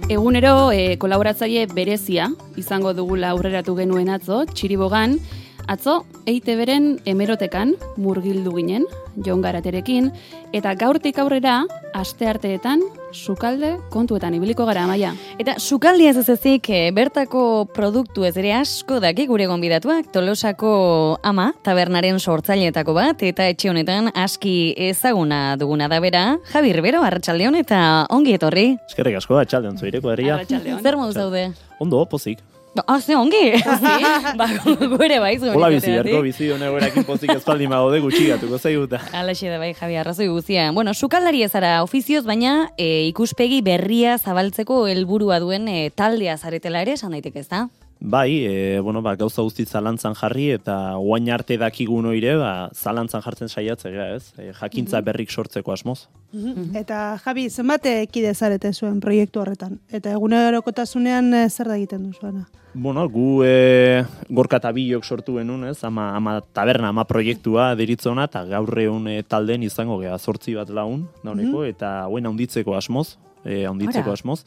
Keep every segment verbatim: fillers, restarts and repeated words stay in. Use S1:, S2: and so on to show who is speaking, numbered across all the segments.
S1: Egunero e, kolaboratzaile berezia izango dugula aurreratu genuen atzo, Txiribogan, atzo E I Te Beren hemerotekan murgildu ginen, Jon Garaterekin, eta gaurtik aurrera, astearteetan, sukalde kontuetan ibiliko gara, Amaia.
S2: Eta sukaldia ez ezik, bertako produktu ez ere asko daki gure gonbidatuak, Tolosako ama, tabernaren sortzaileetako bat, eta etxe honetan aski ezaguna duguna da bera, Javi Rivero, arratsaldeon eta ongi etorri.
S3: Eskerrik asko, arratsaldeon zuireko herria.
S2: Zer modu zaude?
S3: Ondo, pozik.
S2: Ah, ze ongi! Ba, gure bai zuen.
S3: Hola bizi, erko bizi honegoerakin pozik ezpaldi magode gutxigatuko zaiguta.
S2: Alaxe da bai, Javi, arrazoi guzia. Bueno, sukaldari ezara ofizioz, baina e, ikuspegi berria zabaltzeko helburua duen e, taldea zaretela ere, esan daiteke ez da?
S3: Bai, e, bueno, ba, gauza guzti zalantzan jarri eta oain arte dakigun oire, ba, zalantzan jartzen saiatzea, ez? E, jakintza berrik sortzeko asmoz.
S4: Mm-hmm. Eta Javi, zenbat kide zarete zuen proiektu horretan? Eta egunerokotasunean e, zer da egiten duzuena?
S3: Bueno, gu e, gorka eta bilok sortu genuen, ez? Ama, ama taberna, ama proiektua deritzona, eta gaur egun e, talden izango geha zortzi bat laun, dauneko, mm-hmm. eta hauen haunditzeko asmoz, e, haunditzeko Ara. asmoz.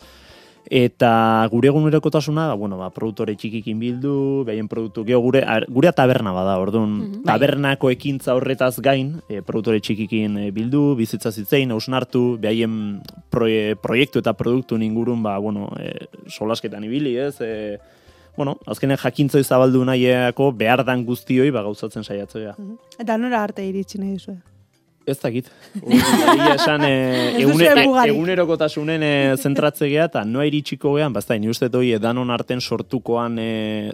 S3: Eta gure egunerokotasuna, bueno, ba, produktore txikikin bildu, behaien produktu, geho gure, gure taberna bada, orduan, mm-hmm. tabernako ekintza horretaz gain, e, produktore txikikin e, bildu, bizitza zitzein, hausnartu, behaien proie, proiektu eta produktu ingurun, ba, bueno, e, solasketan ibili, ez, e, bueno, azkenean jakintza izabaldu nahiako behar dan guztioi ba, gauzatzen saiatzea.
S4: Mm-hmm. Eta nora arte iritsi nahi duzue?
S3: Ez dakit. Egia esan e, egune, egunerokotasunen e, zentratzegea eta noa iritsiko gehan, bazta, ni uste doi edanon arten sortukoan e,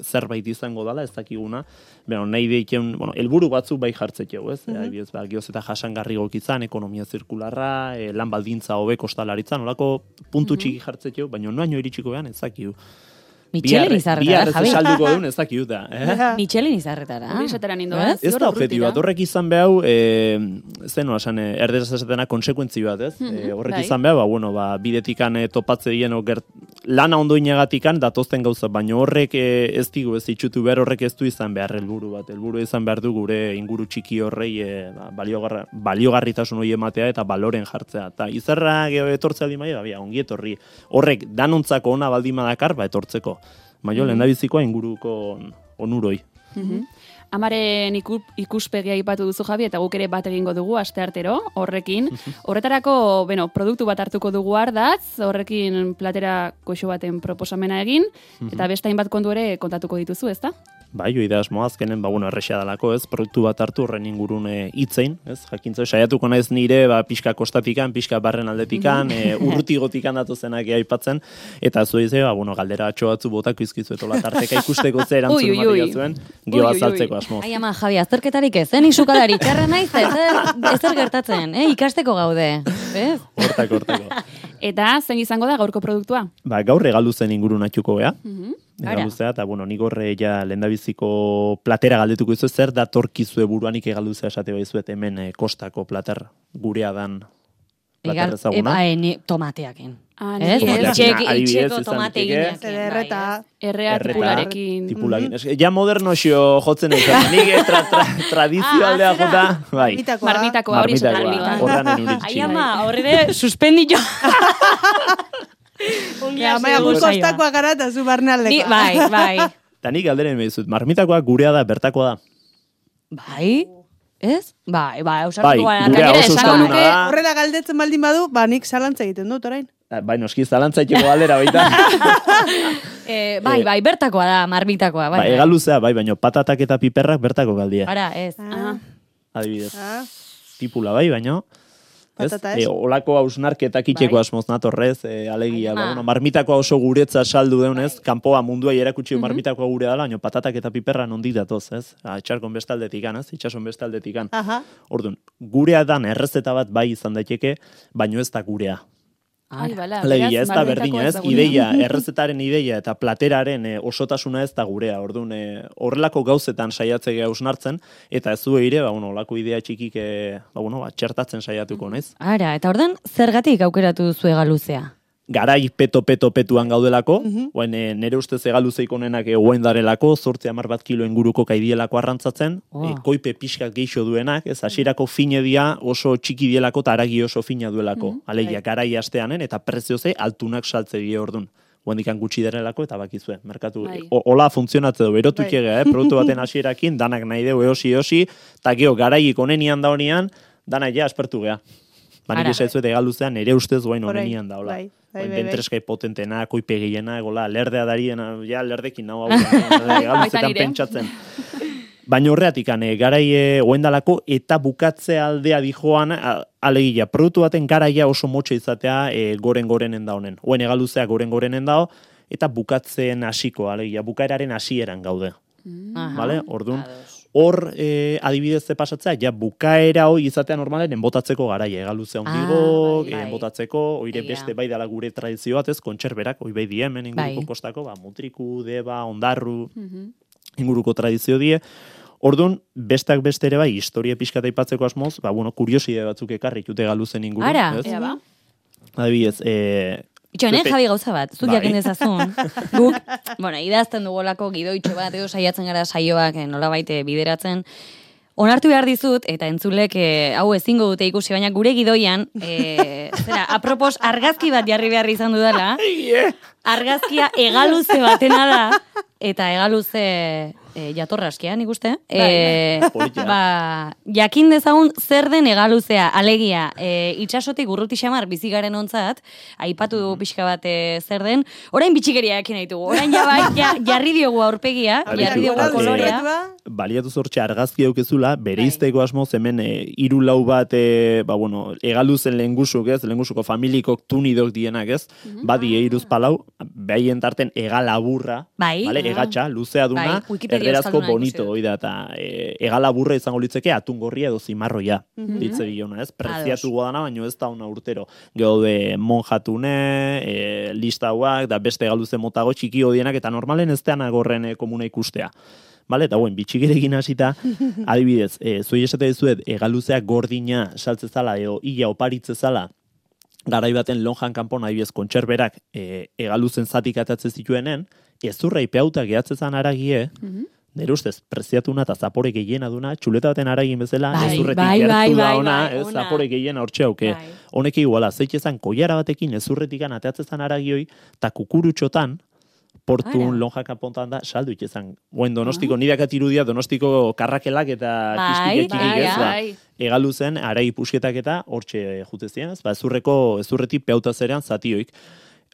S3: zerbait izango dela, ez dakiguna. Bueno, nahi deiken, bueno, elburu batzuk bai jartzetxeu, ez? Mm-hmm. Ebiez, ba, gioz eta jasangarri gokizan, ekonomia zirkularra, e, lan baldintza hobe kostalaritzan, olako puntu txiki jartzetxeu, baina noa iritsiko gehan, ez dakigu.
S2: Michelin izarretara,
S3: Javi. Biarrez salduko duen ez dakiu da. Eh?
S2: Michelin izarretara.
S3: Ez da objektibo bat, horrek izan behau, e, zen nola esan, erderaz esatena konsekuentzi bat, ez? Mm-hmm. E, horrek bai. izan behau, ba, bueno, ba, bidetikan e, topatze dien, gert, lana ondo inagatikan datozten gauza, baina horrek e, ez digu, ez itxutu behar, horrek ez du izan behar helburu bat. Helburu izan behar du gure inguru txiki horrei e, ba, baliogarra, baliogarritasun hori ematea eta baloren jartzea. Ta izarra etortzea aldi maia, ba, ongi etorri. Horrek danontzako ona baldima dakar, ba, etortzeko. Maio, mm-hmm. lehendabizikoa inguruko onuroi.
S1: Mm-hmm. Amaren ikuspegia ipatu duzu, Javi, eta guk ere bat egingo dugu asteartero horrekin. Horretarako, bueno, produktu bat hartuko dugu ardatz, horrekin platera goxo baten proposamena egin, eta beste hainbat kontu ere kontatuko dituzu, ezta?
S3: Bai, joi da asmo azkenen, ba, bueno, errexea dalako, ez, produktu bat hartu horren ingurun e, itzein, ez, jakintza, saiatuko naiz nire, ba, pixka kostatikan, pixka barren aldetikan, e, urrutigotikan datozenak aipatzen, eta zuei ze, ba, bueno, galdera atxo batzu botako izkizu etola tarteka ikusteko ze erantzun ematik zuen, gio azaltzeko asmo.
S2: Ai ama, Javi, azterketarik ez, zen isukadari, txarra naiz, ez zer gertatzen, eh, ikasteko gaude, ez?
S3: Hortako, hortako.
S1: Eta zen izango da gaurko produktua?
S3: Ba, gaur regalu zen ingurun atxuko gea.
S2: Mhm.
S3: Egaluzea, eta bueno, nik horre ja lehendabiziko platera galdetuko izu, zer da torkizue buruanik egaluzea esate baizuet hemen eh, kostako plater gurea dan plater ezaguna.
S2: Egal, e, tomateakin.
S1: Ah,
S2: ez?
S1: Itxeko
S2: tomate gineak.
S4: Erreta.
S1: Errea tipularekin.
S3: Tipularekin. Mm-hmm. Ja moderno xo jotzen ez, nik tra, tra, tradizio aldea
S2: ah,
S3: jota. Bai.
S1: Marmitakoa, hori
S3: Marmitakoa. Horran enuritxin.
S2: Ai ama, horre suspenditu.
S4: Ja, maia gustostakoa gara eta zu barnealdeko.
S2: Bai, bai.
S3: Ta nik galderen behizut, marmitakoa gurea da, bertakoa da.
S2: Bai, ez? Bai, bai,
S3: Bai,
S2: ausartuko
S3: gurea oso euskalduna da.
S4: Horrela galdetzen baldin badu, ba nik zalantza egiten dut orain.
S3: Bai, noski zalantza etxeko galdera baita.
S2: eh, bai, bai, bertakoa da, marmitakoa. Bai,
S3: bai, egaluzea, bai, baina patatak eta piperrak bertako galdia.
S2: Ara, ez.
S4: Ah.
S3: Adibidez.
S4: Ah.
S3: Tipula bai, baina... Ez? E, olako hausnarketak itxeko bai. Asmoz natorrez, e, alegia. Ba, bueno, marmitakoa oso guretza saldu deunez, bai. Kanpoa mundua erakutsi mm-hmm. marmitakoa gure dela, baina patatak eta piperra nondik datoz, ez? Txarkon bestaldetikan, ez? Itxason bestaldetikan. Orduan, gurea dan errezeta bat bai izan daiteke, baino ez da gurea.
S1: Ai, bala,
S3: Alegia, ez da berdina, ez? Ideia, errezetaren ideia eta plateraren e, osotasuna ez da gurea. Orduan, e, horrelako gauzetan saiatzea hausnartzen, eta ez du eire, ba, bueno, olako idea txikik, e, ba, bueno, ba, txertatzen saiatuko, naiz?
S2: Ara, eta ordan zergatik aukeratu duzu egaluzea?
S3: garai peto-peto-petuan gaudelako,
S4: Mhm.
S3: oen, e, nere ustez egaluzeik onenak egoen darelako, zortzi hamar bat kilo inguruko kaidielako arrantzatzen,
S2: Oh.
S3: e, koipe pixkat geixo duenak, ez, hasierako fine dia oso txiki dielako eta aragi oso fina duelako.
S1: Mhm.
S3: Alegia,
S4: Bai.
S3: garai asteanen eta prezioze altunak saltze die ordun. Guendikan gutxi derelako eta bakizue, merkatu.
S1: Bai.
S3: O, ola funtzionatze du, berotuik
S4: Bai.
S3: ega, eh? Produktu baten hasierakin, danak nahi deu eosi eosi, eta geho garaik onenian da honean, danak ja aspertu gea. Ba, nik
S2: Ara.
S3: esaizuet egaluzean nere ustez guain
S4: Orain,
S3: onenian da, hola.
S4: bai, bai,
S3: Oin
S4: bai, bai.
S3: dentreskai potentena, koipe gehiena, gola, lerdea dariena, ja, lerdekin nago hau, egaluzetan
S1: Baita nire.
S3: pentsatzen. Baina horreatik, ane, garai e, oendalako eta bukatze aldea dijoan, a- alegia, produktu baten garaia oso motxe izatea e, goren-gorenen da honen. Oen egaluzea goren-gorenen dao, eta bukatzen hasiko, alegia, bukaeraren hasieran gaude.
S2: Aha.
S3: Vale? Orduan,
S2: Ados.
S3: hor e, adibidez ze pasatzea, ja bukaera hoi izatea normalen enbotatzeko garaia, egaluzea ondigo,
S2: bai, bai.
S3: enbotatzeko, oire
S2: Egia.
S3: beste bai dala gure tradizio bat, ez, kontserberak, oi bai die hemen inguruko
S2: Bai.
S3: kostako, ba, mutriku, deba, ondarru,
S1: Mhm.
S3: inguruko tradizio die. Orduan, bestak beste ere bai, historia pixkat aipatzeko asmoz, ba, bueno, kurioside batzuk ekarri jute galuzen inguru.
S2: Ara.
S3: Ez?
S1: Ea ba.
S3: Adibidez, e,
S2: Itxoen,
S3: Pepe-
S2: Javi gauza bat, zuk
S3: Bai.
S2: jakin dezazun. Guk, bueno, idazten dugolako gidoitxo bat, edo saiatzen gara saioak eh, nolabait eh, bideratzen. Onartu behar dizut, eta entzulek eh, hau ezingo dute ikusi, baina gure gidoian, eh, zera, apropos argazki bat jarri behar izan dudala, argazkia egaluze batena da, eta egaluze e, jatorraskia, nik uste. E,
S3: Polita.
S2: ba, jakin dezagun zer den egaluzea, alegia, e, itxasotik urruti xamar bizigaren ontzat, aipatu du pixka bat e, zer den, orain bitxikeria jakin ditugu, orain ja bai, ja, jarri diogu aurpegia,
S3: Ari
S2: jarri diogu
S3: zu, eh,
S2: kolorea.
S3: Baliatu zortxe argazki aukezula,
S2: Bai.
S3: bereizteko asmoz hemen e, hiru lau bat, e, ba, bueno, egaluzen lehengusuk, ez, lehengusuko familikok tunidok dienak, ez, badi eiruz palau, behaien tarten egalaburra,
S2: Bai.
S3: vale,
S2: Ah.
S3: egatxa, luzea duna,
S2: Bai, Wikipedia
S3: erderazko
S2: euskalduna
S3: bonito,
S2: ikusi dut.
S3: hoi da, eta e, egalaburra izango litzeke atungorria edo zimarroia, ditze diona, ez, preziatu godana, baino ez da una urtero. Gaude monjatune, e, listauak, da beste egaluze motago txiki hodienak, eta normalen ez dean agorren e, komuna ikustea. Vale, eta buen, bitxigerekin hasita, adibidez, e, zuei esate dizuet, egaluzea gordina saltzezala edo ia oparitzezala, garai baten lonjan kanpon adibidez kontserberak e, egaluzen zatik atatzen zituenen, ezurra ipeauta gehatzezan aragie, nire ustez, preziatuna eta zapore gehiena duna, txuleta baten aragin bezala,
S2: Bai,
S3: ezurretik
S2: bai,
S3: gertu
S2: bai,
S3: da
S2: bai,
S3: ona,
S2: bai,
S3: ez,
S2: ona.
S3: zapore gehiena hortxe hauke.
S2: Bai.
S3: Honek iguala, zeitezan koiara batekin ezurretikan ateatzezan aragioi, eta kukurutxotan, portun
S2: Ara.
S3: lonja kanpontan da, saldu itxezan. Guen donostiko, nire irudia donostiko karrakelak eta
S2: Bai,
S3: kispiketxikik
S2: bai,
S3: ez, ba,
S1: bai.
S3: egaluzen, arai pusketak eta hortxe jutezien, ez, ba, ezurreko, ezurretik peuta zerean zatioik.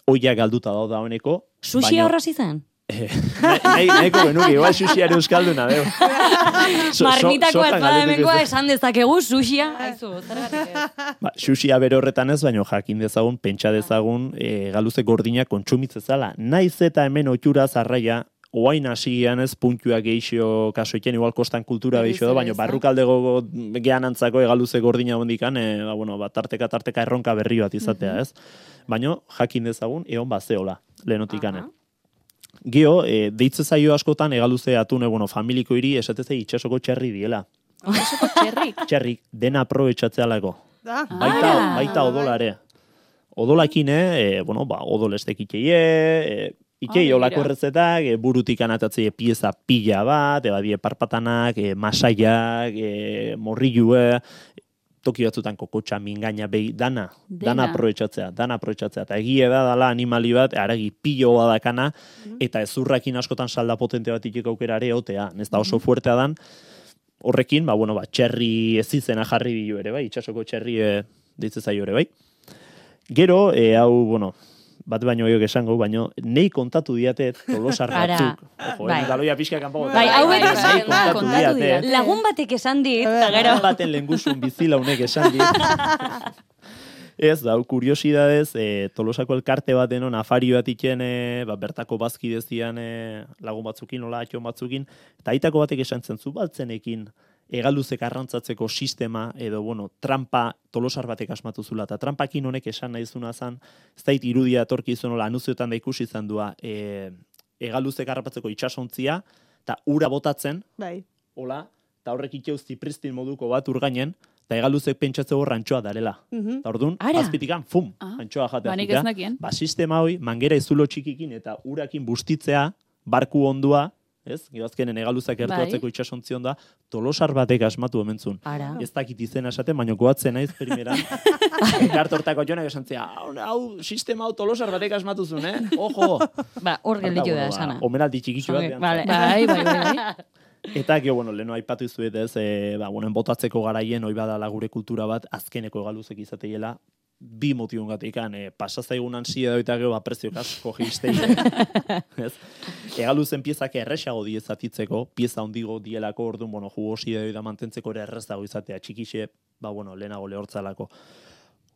S3: Oia galduta dauda honeko.
S2: Sushi
S3: baina-
S2: horraz izan?
S3: Nahi, nahi, nahiko genuke, igual sushiare euskalduna, deu. So- so-
S2: Marmitako
S3: sokan
S2: ezpada
S3: galdetuko
S2: hemengoa
S3: ez.
S2: esan dezakegu, sushia, aizu, zergatik ez.
S3: Ba, sushia bere horretan ez, baino jakin dezagun, pentsa dezagun, e, galuze gordinak kontsumitzezala. Naiz eta hemen otxura zarraia, oain hasian ez puntuak geixo kasoiken, igual kostan kultura
S1: Berriz
S3: geixo da,
S1: ere,
S3: baino
S1: ez da?
S3: barrukaldego gehan antzako egaluze gordina hondikan, e, ba, bueno, ba, tarteka tarteka erronka berri bat izatea, ez? Baino jakin dezagun, egon bazeola, lehenotikane.
S2: Aha.
S3: Gio, e, deitze zaio askotan egaluze atune, bueno, familiko hiri esateze itxasoko txerri diela.
S1: Osoko txerrik.
S3: Txerrik, dena aprobetxatzealako.
S4: Da.
S3: Baita,
S2: Ah.
S3: baita odolare. Odolakin, e, bueno, ba, odolestek ikeie, e, ikei
S1: Ah,
S3: olako
S1: begira.
S3: errezetak, e, burutik anatatzei pieza pila bat, e, badie parpatanak, e, masaiak, e, morrilue, toki batzutan kokotxa, mingaina, behi, dana, dana,
S1: Dena.
S3: aprobetxatzea, dana aprobetxatzea. Eta egie da, dala animali bat, aragi pilo badakana, eta ezurrakin askotan salda potente bat ikik aukera ere otea, ez da oso fuertea dan, horrekin, ba, bueno, ba, txerri ez izena jarri dio ere, bai, itxasoko txerri e, ditze zaio ere, bai. Gero, e, hau, bueno, bat baino gehiago esango, baino, nei kontatu diate tolosar
S2: Ara,
S3: batzuk. Ojo,
S2: bai.
S3: eh, galoia pixka kanpo.
S2: Bai, hau
S1: bai,
S2: beti
S1: bai,
S2: esaten da,
S3: kontatu
S2: kontatu
S3: diate.
S2: dira. Lagun batek esan dit, eta gero.
S3: Lagun baten lengusun bizilaunek esan dit. Ez, da, kuriosidadez, e, Tolosako elkarte bat denon, afari bat iken, e, ba, bertako bazki dezian e, lagun batzukin, nola atxon batzukin, eta aitako batek esan zen, zu baltzenekin, egaluzek arrantzatzeko sistema, edo, bueno, trampa Tolosar batek asmatu zula, eta trampakin honek esan nahi zuna zan, ez dait irudia etorki izan, nola, anuziotan da ikusi izan dua, e, egaluzek harrapatzeko itxasontzia, eta ura botatzen,
S4: Bai.
S3: hola, eta horrek iteuz zipristin moduko bat urgainen, eta egaluzek pentsatze hor antxoa darela.
S4: Mhm.
S3: Eta orduan,
S2: Ara.
S3: azpitikan, fum,
S1: Ah,
S3: antxoa jatea
S1: ba, nik
S3: zutea.
S1: ez nekien.
S3: Ba, sistema hoi, mangera izulo txikikin eta urakin bustitzea, barku ondua, ez? Gero azkenen egaluzak gertuatzeko
S1: Bai.
S3: itxasontzi onda, tolosar batek asmatu omentzun.
S2: Ara.
S3: Ez dakit izena esaten, baina goatzen naiz primeran. Ekartortako jonak esan zia, hau, hau, sistema hau tolosar batek asmatu zuen, eh? Ojo!
S2: Ba, hor gelditu da esana.
S3: Omenaldi txikitxo bat.
S2: Zongi,
S3: behan
S2: vale.
S1: Bai, bai, bai, bai.
S3: Eta, gero, bueno, leheno aipatu izuet ez, e, ba, bueno, botatzeko garaien, hoi badala gure kultura bat, azkeneko egaluzek izateiela, bi motiun gatikan, e, pasazaigun ansia eta gero, ba, preziok asko geistei. ez? Egaluzen piezak erresago diezatitzeko, pieza ondigo dielako, orduan, bueno, jugosia da mantentzeko ere errezago izatea, txikixe, ba, bueno, lehenago lehortzalako.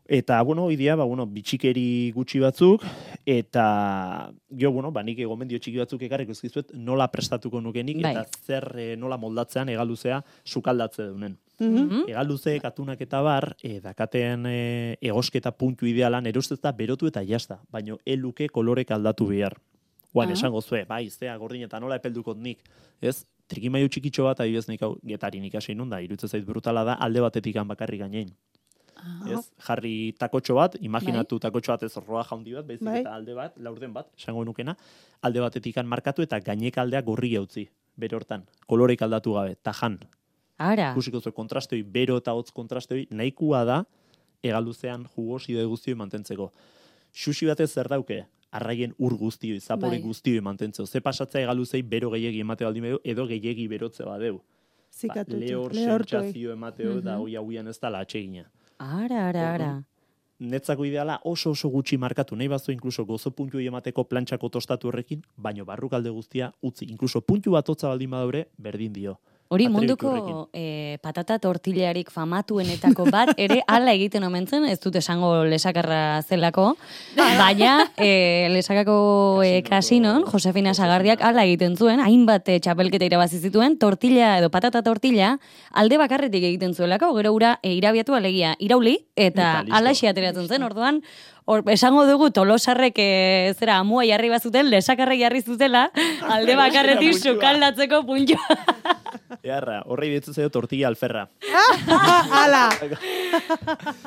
S3: Eta, bueno, idea, ba, bueno, bitxikeri gutxi batzuk, eta, jo, bueno, ba, nik gomendio txiki batzuk ekarriko ezkizuet nola prestatuko nukenik,
S2: Bai.
S3: eta zer e, nola moldatzean egaluzea sukaldatze dunen.
S4: Mhm.
S3: Egaluzeek atunak eta bar, e, dakaten e, egosketa puntu idealan, erostez da berotu eta jazta, baino eluke kolorek aldatu behar. Guan,
S1: Ah.
S3: esango zue, bai, zea gordin eta nola epeldukot nik, ez? Trikimailu txikitxo bat, adibidez nik hau getarin ikasi nun da, iruditzen zait brutala da, alde batetik bakarrik gainein. Ez? Jarri takotxo bat, imaginatu takotxo bat ez roa jaundi bat, baizik
S4: Bai.
S3: eta alde bat, laurden bat, esango nukena, alde batetik markatu eta gainek aldea gorri utzi, bere hortan, kolorek aldatu gabe, tajan.
S2: Ara.
S3: Ikusiko zu kontrastoi, bero eta hotz kontrastoi, nahikoa da egaluzean jugoside guztioi mantentzeko. Xuxi batez zer dauke? Arraien ur guztioi, zapore
S1: Bai.
S3: guztioi mantentzeko. Ze pasatzea egaluzei bero gehiegi emate baldin badu, edo gehiegi berotze badeu. Ba,
S4: Zikatu.
S3: lehor
S4: lehortu.
S3: sentsazio emateo da hoi hauian ez dala atsegina.
S2: Ara, ara, ara.
S3: Netzako ideala oso oso gutxi markatu, nahi bazu inkluso gozo puntuei emateko plantxako tostatu horrekin, baino barrukalde guztia utzi, inkluso puntu bat hotza baldin badaure, berdin dio.
S2: Hori
S3: Atrebitu
S2: munduko
S3: horrekin.
S2: eh, patata tortillarik famatuenetako bat ere hala egiten omentzen, ez dut esango lesakarra zelako, baina eh, lesakako eh, kasinon, Josefina Sagardiak hala egiten zuen, hainbat eh, txapelketa irabazi zituen, tortilla edo patata tortilla alde bakarretik egiten zuelako, gero ura e, irabiatu alegia irauli, eta
S3: Eta listo.
S2: alaxi ateratzen zen, orduan, Hor, esango dugu tolosarrek e, zera amua jarri bazuten, lesakarrek jarri zutela, alde bakarretik
S3: puntua.
S2: sukaldatzeko puntua.
S3: Earra, horrei ditzu zaio tortilla alferra.
S4: Ala!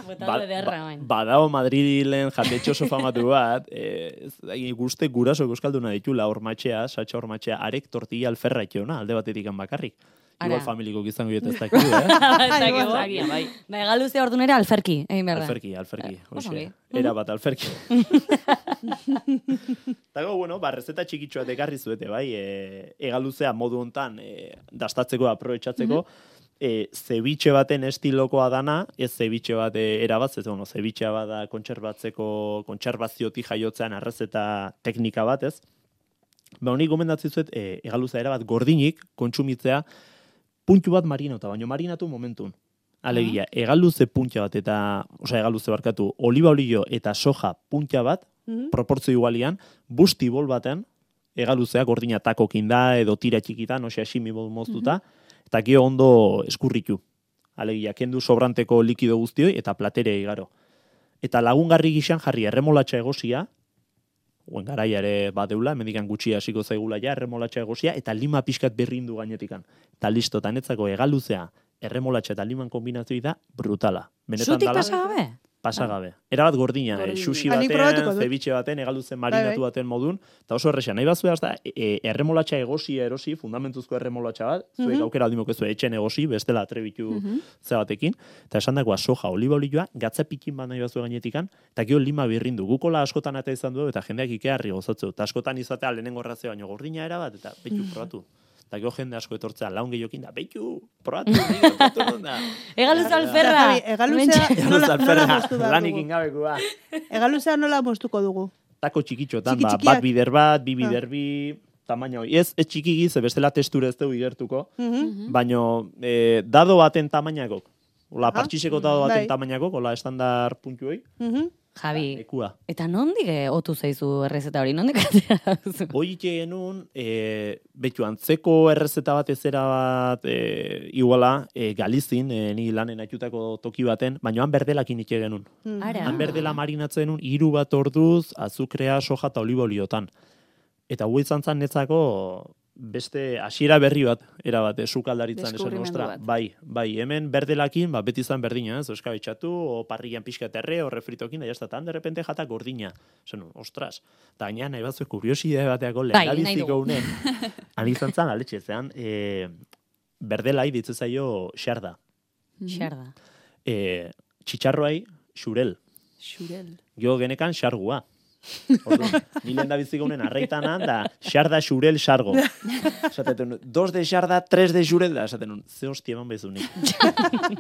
S2: Botado ederra, bain.
S3: badao Madrilen jatetxo oso famatu bat, eh, ez, guzte guraso euskalduna ditula hormatxea, satxa hormatxea, arek tortilla alferra etxeona, alde batetik bakarrik.
S2: Ara.
S3: Igual familiko gizango dieta ez dakidu, eh?
S2: Ez dakigu.
S1: Zagia, bai.
S2: Ba, egaluzea orduan ere alferki, egin behar da.
S3: Alferki, alferki.
S2: oso
S3: Hoxe,
S2: ongi.
S3: era bat alferki. Tago, bueno, ba, rezeta txikitxoa dekarri zuete, bai, e, egaluzea modu hontan e, dastatzeko, aprobetxatzeko, e, zebiche baten estilokoa dana, ez zebiche bat e, erabaz, ez, bueno, zebichea bada kontserbatzeko, kontserbaziotik jaiotzean arrezeta teknika bat, ez? Ba, honi gomendatzen zuet, e, egaluzea erabat gordinik, kontsumitzea, puntu bat marinauta, baino marinatu momentun. Alegia, egaluze puntxa bat eta, osea, egaluze barkatu, oliba olio eta soja puntxa bat,
S4: Mhm.
S3: proportzio igualian, busti bol baten, egaluzea gordina takokin da, edo tira txikitan, osea, simi bol moztuta, eta gio ondo eskurritu. Alegia, kendu sobranteko likido guztioi eta platere igaro. Eta lagungarri gixan jarri erremolatxa egosia, guen garaia ere badeula, hemendikan gutxi hasiko zaigula ja, erremolatxa egosia, eta lima pixkat berrindu gainetikan. Eta listo, eta netzako egaluzea, erremolatxa eta liman kombinazioi da brutala. Benetan
S2: Zutik
S3: dala,
S2: pasagabe?
S3: pasagabe. Erabat gordina, eh,
S1: Gordina.
S3: sushi
S4: Ba, nik probatuko
S3: baten,
S4: dut.
S3: ceviche baten, egaluzen
S4: Bai,
S3: marinatu
S4: bai.
S3: baten modun, eta oso errexan. Nahi bazue da, e, erremolatxa egosia erosi, fundamentuzko erremolatxa bat, zuek
S4: Mhm.
S3: aukera aldimok ez etxen egosi, bestela atrebitu ze batekin, eta esan dagoa soja, oliba olioa, gatza pikin bat nahi bazue gainetikan, eta gero lima birrindu. Gukola askotan eta izan du, eta jendeak ikearri gozatzeu. Eta askotan izatea lehenengo razio baino gordina era bat, eta betu probatu. Eta gero jende asko etortzea, laun gehiokin da, betu, probatu, nire, probatu non da.
S2: Egaluz
S4: Ja,
S2: alferra!
S4: Javi, egaluzea nola, nola
S3: Alferra,
S4: moztu behar
S3: lanik
S4: dugu?
S3: ingabekua.
S4: Egaluzea nola moztuko dugu?
S3: Tako txikitxotan,
S4: Txiki
S3: ba,
S4: txikiak.
S3: bat bider bat, bi
S4: Ah.
S3: bider bi, tamaina hori. Ez, ez txiki ze bestela testura ez dugu igertuko,
S4: Mhm.
S3: baino e, dado baten tamainakok. Ola,
S4: Ah.
S3: partxiseko dado baten
S4: Bai.
S3: tamainakok, ola, estandar puntu hoi,
S4: Mhm.
S2: Javi,
S3: ekua.
S2: eta nondik eh, otu zaizu errezeta hori? Nondik atera duzu?
S3: Hoi genuen, e, betu antzeko errezeta bat ezera bat, e, iguala, e, Galizin, e, ni lanen atxutako toki baten, baino han berdelakin itxe genuen.
S2: Ara.
S3: Han berdela marinatzen genuen, hiru bat orduz, azukrea, soja eta oliba oliotan. Eta hu izan zan netzako, beste hasiera berri bat, era bat, sukaldaritzan esan
S1: Deskubrimendu
S3: ostra.
S1: bat.
S3: Bai, bai, hemen berdelakin, ba, beti izan berdina, ez, eskabetxatu, o parrillan pixka terre, o refritokin, da jazta, tan de repente jata gordina. Esan, ostras, eta gaina nahi batzu kuriosidade bateako
S2: Bai, nahi
S3: lehendabiziko
S2: dugu.
S3: unen, han izan zan, aletxe, zean, e, berdelai ditze zaio xarda.
S2: Xarda.
S3: E, txitxarroai xurel.
S1: Xurel.
S3: Jo genekan xargua. Orduan, ni lehen da biziko unen arreitanan, da xarda xurel xargo. Esaten, dos de xarda, tres de xurel, da esaten, ze hostia eman bezunik.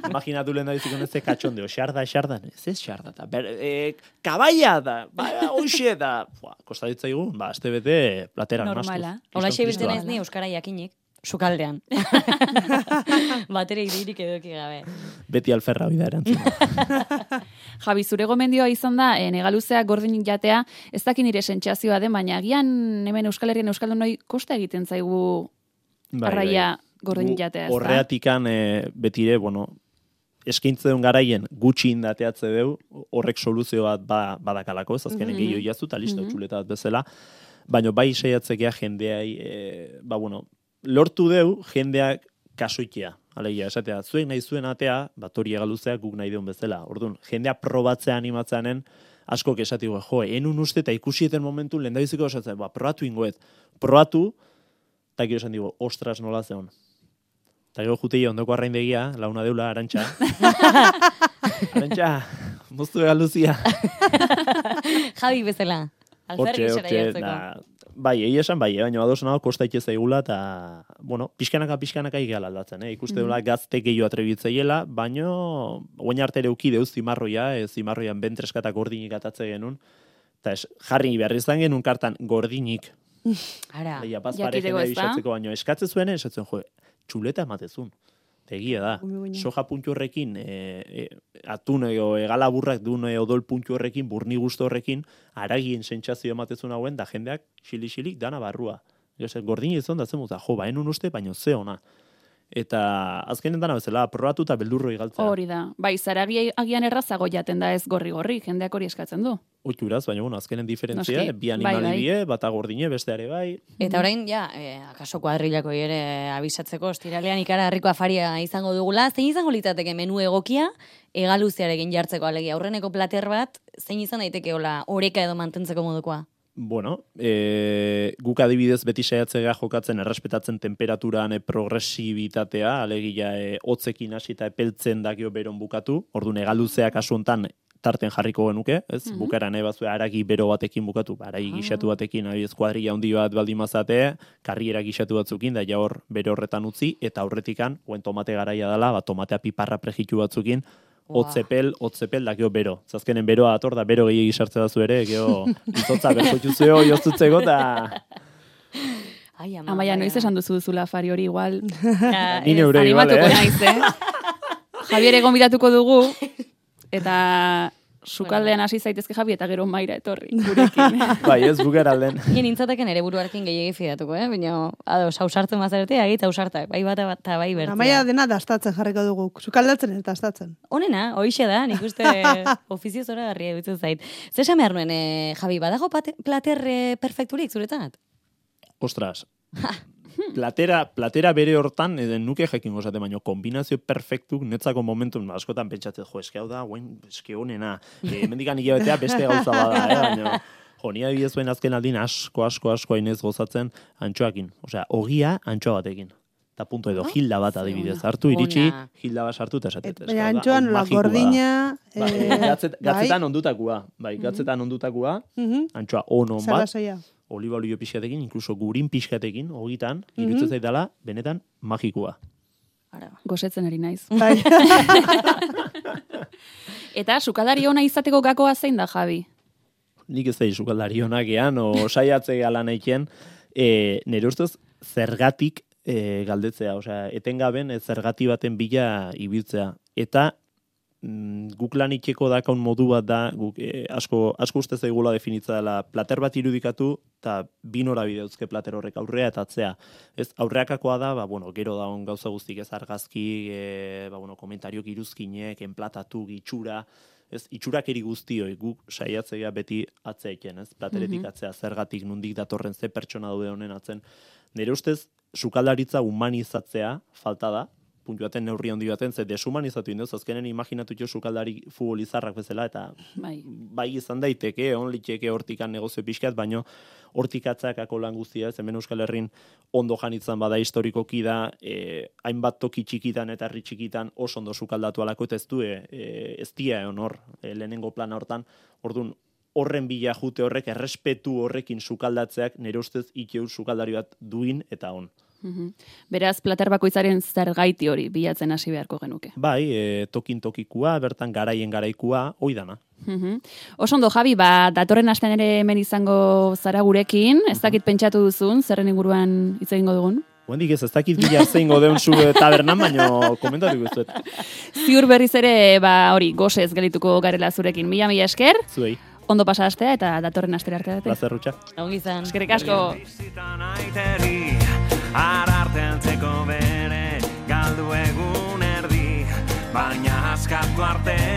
S3: Imaginatu lehen da biziko unen ze katxondeo, xarda, xarda, ez ez xarda, da, ber, e, kabaia da, ba, hoxe da. Bua, kosta ditzaigu, ba, azte bete platerak
S1: Normala.
S3: mastuz.
S2: Hola,
S3: Kriston
S2: biltzen
S3: kristua.
S2: ez ni euskara jakinik. Sukaldean. Batere idirik eduki gabe.
S3: Beti alferra bida erantzun.
S1: Javi, zure gomendioa izan da, e, negaluzea gordinik jatea, ez dakin nire sentsazioa den, baina agian hemen Euskal Herrian Euskaldunoi kosta egiten zaigu
S3: Bai,
S1: arraia
S3: bai.
S1: gordinik
S3: Gu
S1: jatea, ez da?
S3: Horreatikan e, betire, bueno, eskaintze duen garaien gutxi indateatze deu, horrek soluzio bat ba, badakalako, ez azkenen
S1: Mhm.
S3: gehiago jaztu, eta listo,
S1: Mhm.
S3: txuleta bat bezala, baina bai saiatzekea jendeai, e, ba, bueno, lortu deu jendeak kasoitea. Alegia, esatea, zuek nahi zuen atea, bat hori egaluzea guk nahi deun bezala. Orduan, jendea probatzea animatzeanen, askok esatigo, jo, enun uste eta ikusieten momentu lehendabiziko esatzen, ba, probatu ingoet. Probatu, eta gero esan digo, ostras nola zeon. Eta gero jutei ondoko arraindegia, launa deula, Arantxa. Arantxa, moztu egaluzia.
S2: Javi bezala. Alferrik
S3: Hortxe,
S2: zera
S3: hortxe,
S2: jartzeko.
S3: da, bai, egia esan, bai, baina ados nago kosta itxe zaigula, eta, bueno, pixkanaka, pixkanaka igala aldatzen, eh? Ikuste dula gazte gehiago atrebitzaiela, baino, oain arte ere uki deuz zimarroia, e, zimarroian bentreskatak gordinik atatze genuen, eta es, jarri behar izan genuen kartan gordinik,
S2: Ara.
S3: leia paz
S1: Jakiteko,
S3: parejena
S1: ez da?
S3: bisatzeko, baino, eskatze zuen, esatzen, jo, txuleta ematezun. Egia da,
S4: Gumi guina.
S3: soja puntu horrekin, e, e, atun edo egala burrak duen e, odol puntu horrekin, burni guztu horrekin, aragien sentsazio ematezun hauen, da jendeak xili-xilik dana barrua. Gose, gordin izan da zen muta, jo, ba, enun uste, baino ze ona. Eta azkenen dana bezala, probatu eta beldurro igaltzea.
S1: Hori da. Bai, zaragi agian errazago jaten da ez gorri-gorri, jendeak hori eskatzen du.
S3: Oituraz, baina, bueno, azkenen diferentzia,
S1: Noski,
S3: bi
S1: bai,
S3: animali
S1: bai.
S3: die, bata gordine, besteare bai.
S2: Eta orain, ja, eh, akaso kuadrilako ere abisatzeko, ostiralean ikara harriko afaria izango dugula, zein izango litzateke menu egokia, egaluziarekin jartzeko alegia. Aurreneko plater bat, zein izan daiteke hola oreka edo mantentzeko modukoa?
S3: Bueno, e, guk adibidez beti saiatzea jokatzen errespetatzen temperaturan e, progresibitatea, alegia e, hotzekin hasi eta epeltzen dakio beron bukatu, orduan egaluzeak kasu hontan tarten jarriko genuke, ez?
S1: Mhm.
S3: Bukaeran nahi bazue haragi bero batekin bukatu, haragi gixatu batekin, adibidez kuadrilla handi bat baldin mazate, karriera gixatu batzukin, da ja hor bere horretan utzi, eta horretikan, oen tomate garaia dela, ba, tomatea piparra prejitu batzukin, hotzepel, hotzepel, da gero bero. Zazkenen beroa ator, da bero gehiagi sartze dazu ere, gero izotza berkoituzeo, joztutzeko, eta...
S2: Ai, ama.
S1: Amaia, noiz esan duzu duzula afari hori igual.
S2: Ja,
S3: Ni neure igual,
S1: Animatuko
S3: eh?
S1: naiz, eh? Javier egon bidatuko dugu, eta sukaldean hasi zaitezke Javi, eta gero maira etorri, gurekin.
S3: Bai, ez bukera alden.
S2: Nien nintzateken ere buruarekin gehiagi fidatuko, eh? Baina, ados, hausartzen mazarete, agitz hausartak, bai bata bat, eta bai bertzea.
S4: Amaia dena dastatzen jarriko dugu. Sukaldatzen eta dastatzen.
S2: Honena, hoixe da, nik uste ofizio zora garria dutzen zait. Zer esan behar nuen, eh, Javi, badago pate, plater eh, perfekturik zuretzat?
S3: Ostras. Platera, platera bere hortan, eden nuke jakin gozate, baino kombinazio perfektuk netzako momentun, askotan pentsatzen, jo, eske hau da, guen, eske honena, e, mendikan hilabetea beste gauza bada, eh, baino, jo, ni adibidez zuen azken aldin asko, asko, asko hainez gozatzen antxoakin, osea, ogia antxoa batekin. Eta punto edo, hilda bat adibidez, hartu iritsi,
S2: Ona.
S3: hilda bat sartu eta esatet.
S4: Et, baina antxoan la gordina...
S3: Bai,
S4: eh,
S3: gatzet, gatzetan ondutakua, bai, gatzetan ondutakua,
S4: mhm,
S3: antxoa ono bat,
S4: salasoia.
S3: oliba olio pixkatekin, inkluso gurin pixkatekin, ogitan, irutzen zaitala, benetan, magikua.
S2: Ara.
S1: Gosetzen ari naiz.
S4: Bai.
S1: Eta sukaldari ona izateko gakoa zein da, Javi?
S3: Nik ez da izukaldari honak ean, o saiatze gala nahikien, e, nire ustez zergatik e, galdetzea, osea, etengaben e, zergati baten bila ibiltzea. Eta mm, guk lan itxeko dakaun modu bat da, guk e, asko, asko uste zaigula definitza dela, plater bat irudikatu, eta bi norabide dauzke plater horrek aurrea eta atzea. Ez, aurreakakoa da, ba, bueno, gero da on gauza guztik ez argazki, e, ba, bueno, komentariok iruzkinek, enplatatu, gitxura, ez itxurakeri guztioi guk saiatzea beti atzeeken, ez? Plateretik atzea zergatik nondik datorren ze pertsona daude honen atzen. Nire ustez sukaldaritza humanizatzea falta da. Puntu baten neurri handi baten, ze deshumanizatu indoz, azkenen imaginatu jo sukaldari futbolizarrak bezala, eta
S1: bai,
S3: bai izan daiteke, on liteke hortikan negozio pixkat, baino hortikatzakako lan guztia, ez hemen Euskal Herrin ondo janitzan bada historikoki da, e, hainbat toki txikitan eta herri txikitan oso ondo sukaldatu alako, eta ez du, e, ez dia egon hor, e, lehenengo plana hortan, orduan, horren bila jute horrek, errespetu horrekin sukaldatzeak, nire ustez ikeur sukaldari bat duin eta on.
S1: Mhm. Beraz, plater bakoitzaren zergaiti hori bilatzen hasi beharko genuke.
S3: Bai, e, tokin tokikua, bertan garaien garaikua, hoi dana.
S1: Mhm. Oso ondo, Javi, ba, datorren astean ere hemen izango zara gurekin, ez dakit pentsatu duzun, zerren inguruan hitz egingo dugun?
S3: Guendik ez, ez dakit bila zeingo deun zu tabernan, baino komentatu guztuet.
S1: Ziur berriz ere, ba, hori, gozez gelituko garela zurekin. Mila, mila esker.
S3: Zuei.
S1: Ondo pasa astea eta datorren astera arte.
S3: Plazer, Rutxa.
S2: Ongi izan.
S1: Eskerrik asko.
S5: Ararteantzeko bere galdu egun erdi, baina askatu arte